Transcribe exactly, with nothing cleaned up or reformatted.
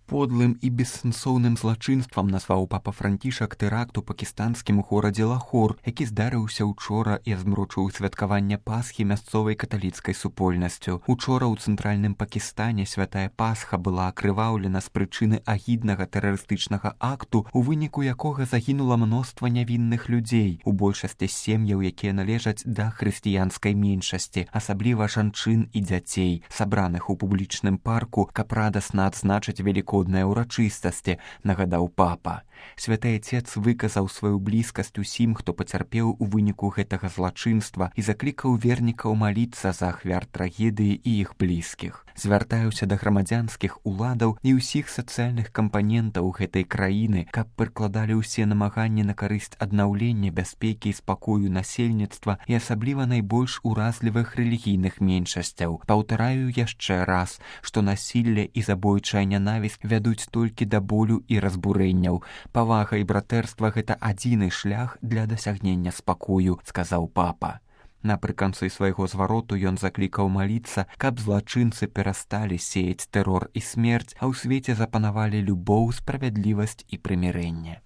Подлым і бессэнсоўным злачынствам назваў папа Францішак тэракт у пакістанскім горадзе Лахор, які здарыўся учора і змрочыў святкаванне Пасхі мясцовай каталіцкай супольнасцю. Учора ў цэнтральным Пакістане святая Пасха была акрываўлена з прычыны агіднага тэрарыстычнага акту, у выніку якога загінула мноства нявінных людзей, у большасці сем'яў, якія належаць да хрысціянскай меншасці, асабліва жанчын і дзяцей, сабраных у публічным парку, каб радасна адзначыць велікодныя ўрачыстасці, нагадаў папа. Святы Отец выказаў сваю блізкасць усім, хто пацярпеў у выніку гэтага злачынства і заклікаў вернікаў маліцца за ахвяр трагедыі і іх блізкіх. Звяртаюся да грамадзянскіх уладаў і ўсіх сацыяльных кампанентаў гэтай краіны, каб прыкладалі ўсе намаганні на карысць аднаўлення бяспекі і спакою насельніцтва і асабліва найбольш уразлівых рэлігійных меншасцяў. Паўтараю яшчэ раз, што насілле і забойчая нянавісць вядуць толькі да болю і разбурэнняў. Павага і братэрства – гэта адзіны шлях для дасягнення спакою, сказаў папа. Напрыканцы свайго звароту ён заклікаў маліцца, каб злачынцы перасталі сеяць тэрор і смерць, а ў свеце запанавалі любоў, справядлівасць і прымірэнне.